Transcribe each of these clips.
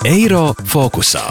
Eiro fokusā.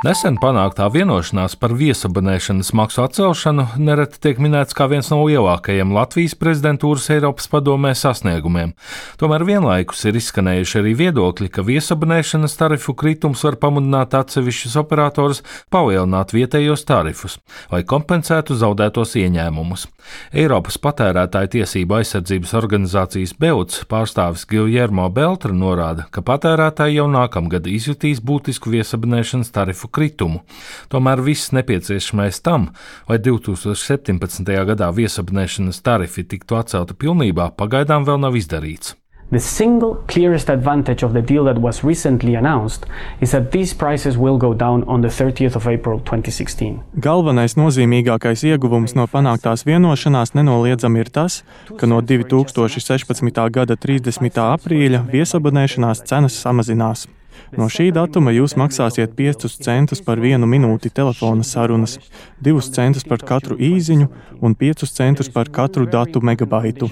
Nesen panāktā vienošanās par viesabonēšanas maksu atcelšanu nereti tiek minēts kā viens no lielākajiem Latvijas prezidentūras Eiropas padomē sasniegumiem. Tomēr vienlaikus ir izskanējuši arī viedokļi, ka viesabonēšanas tarifu kritums var pamudināt atsevišķus operatorus palielināt vietējos tarifus, lai kompensētu zaudētos ieņēmumus. Eiropas patērētāju tiesību aizsardzības organizācijas BEUC pārstāvis Guillermo Beltra norāda, ka patērētāji jau nākamgad izjutīs būtisku viesabonēšanas tarifu kritumu. Tomēr viss nepieciešamais tam, lai 2017. gadā viesabonēšanas tarifi tiktu atcelti pilnībā, pagaidām vēl nav izdarīts. The single clearest advantage of the deal that was recently announced is that these prices will go down on the 30th of April 2016. Galvenais nozīmīgākais ieguvums no panāktās vienošanās nenoliedzami ir tas, ka no 2016. gada 30. aprīļa viesabonēšanās cenas samazinās. No šī datuma jūs maksāsiet 5 centus par 1 minūti telefona sarunas, 2 centus par katru īziņu un 5 centus par katru datu megabaitu.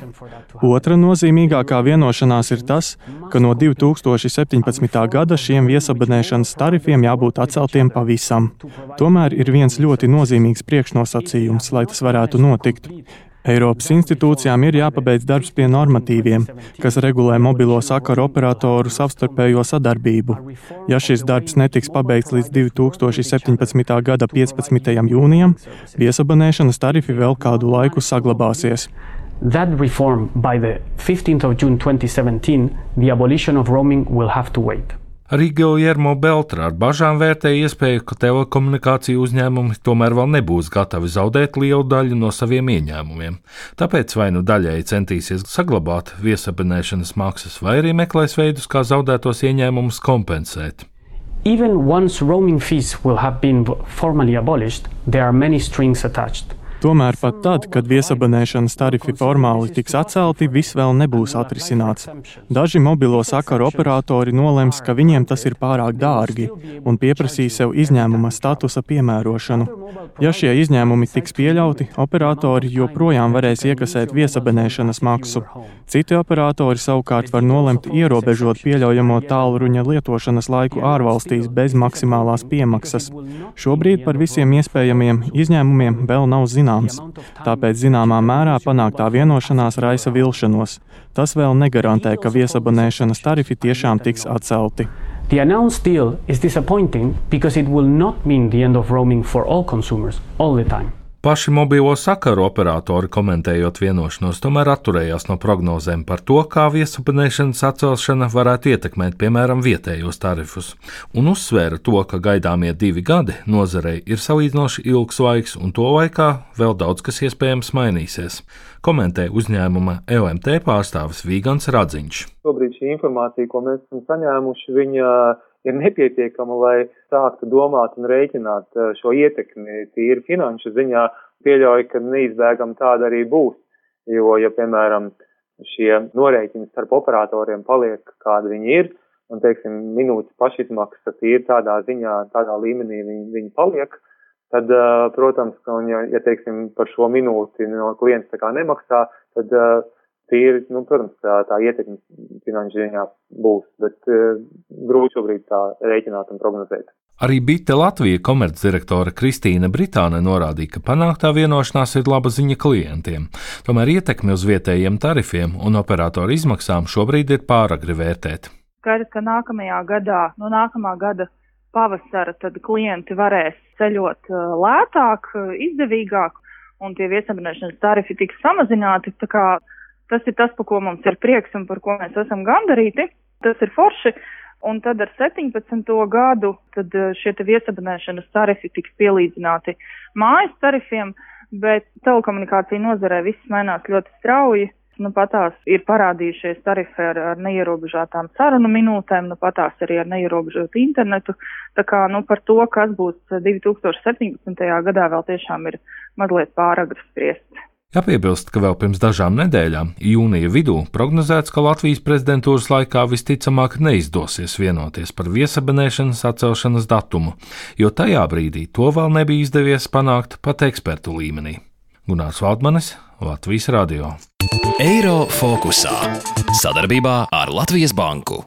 Otra nozīmīgākā vienošanās ir tas, ka no 2017. gada šiem viesabonēšanas tarifiem jābūt atceltiem pavisam. Tomēr ir viens ļoti nozīmīgs priekšnosacījums, lai tas varētu notikt. Eiropas institūcijām ir jāpabeidz darbs pie normatīviem, kas regulē mobilo sakaru operatoru savstarpējo sadarbību. Ja šis darbs netiks pabeigts līdz 2017. gada 15. jūnijam, viesabonēšanas tarifi vēl kādu laiku saglabāsies. That reform by the 15th of June 2017, the abolition of roaming will have to wait. Arī Guillermo Beltra ar bažām vērtēja iespēju, ka telekomunikāciju uzņēmumi tomēr vēl nebūs gatavi zaudēt lielu daļu no saviem ieņēmumiem. Tāpēc vai nu daļēji centīsies saglabāt viesabonēšanas maksas, vai arī meklēs veidus, kā zaudētos ieņēmumus kompensēt. Even once roaming fees will have been formally abolished, there are many strings attached. Tomēr pat tad, kad viesabonēšanas tarifi formāli tiks atcelti, viss vēl nebūs atrisināts. Daži mobilo sakaru operatori nolems, ka viņiem tas ir pārāk dārgi un pieprasīs sev izņēmuma statusa piemērošanu. Ja šie izņēmumi tiks pieļauti, operatori joprojām varēs iekasēt viesabonēšanas maksu. Citi operatori savukārt var nolemt ierobežot pieļaujamo tālruņa lietošanas laiku ārvalstīs bez maksimālās piemaksas. Šobrīd par visiem iespējamiem izņēmumiem vēl nav zināms. Tāpēc zināmā mērā panāktā vienošanās raisa vilšanos. Tas vēl negarantē, ka viesabonēšanas tarifi tiešām tiks atcelti. The announced deal is disappointing because it will not mean the end of roaming for all consumers all the time. Paši mobilo sakaru operatori, komentējot vienošanos, tomēr atturējās no prognozēm par to, kā viesabonēšanas atcelšana varētu ietekmēt, piemēram, vietējos tarifus, un uzsvēra to, ka gaidāmie 2 gadi nozarei ir salīdzinoši ilgs laiks, un to laikā vēl daudz kas iespējams mainīsies, komentē uzņēmuma LMT pārstāvis Vigants Radziņš. Šobrīd šī informācija, ko mēs esam saņēmuši, viņa ir nepietiekama, lai sāktu domāt un rēķināt šo ietekmi tīri finanšu ziņā. Pieļauju, ka neizbēgam tāda arī būs, jo, ja, piemēram, šie norēķini starp operatoriem paliek, kādi viņi ir, un, teiksim, minūtes pašizmaksa tīri tādā ziņā, tādā līmenī viņi paliek, tad, protams, ka, ja teiksim, par šo minūti no klients tā kā nemaksā, tad tīri, protams, tā ietekme finanšu ziņā būs, bet grūti šobrīd tā rēķināt un prognozēt. Arī Bite Latvija komercdirektore Kristīna Britāne norādīja, ka panāktā vienošanās ir laba ziņa klientiem. Tomēr ietekmi uz vietējiem tarifiem un operatoru izmaksām šobrīd ir pāragri vērtēt. Skaidrs, ka nākamajā gadā, no nākamā gada pavasara, tad klienti varēs ceļot lētāk, izdevīgāk, un tie viesabonēšanas tarifi tiks samazināti, tā kā tas ir tas, par ko mums ir prieks un par ko mēs esam gandarīti. Tas ir forši. Un tad ar 17. gadu tad šie viesabonēšanas tarifi tiks pielīdzināti mājas tarifiem, bet telekomunikācija nozarē viss mainās ļoti strauji. Patās ir parādījušies tarifi ar neierobežotām sarunu minūtēm, patās arī ar neierobežotu internetu. Tā kā par to, kas būs 2017. gadā, vēl tiešām ir mazliet pāragri spriest. Jāpiebilst, ka vēl pirms dažām nedēļām, jūnija vidū, prognozēts, ka Latvijas prezidentūras laikā visticamāk neizdosies vienoties par viesabonēšanas atcelšanas datumu, jo tajā brīdī to vēl nebija izdevies panākt pat ekspertu līmenī. Gunārs Valdmanis, Latvijas radio. Eiro fokusā sadarbībā ar Latvijas banku.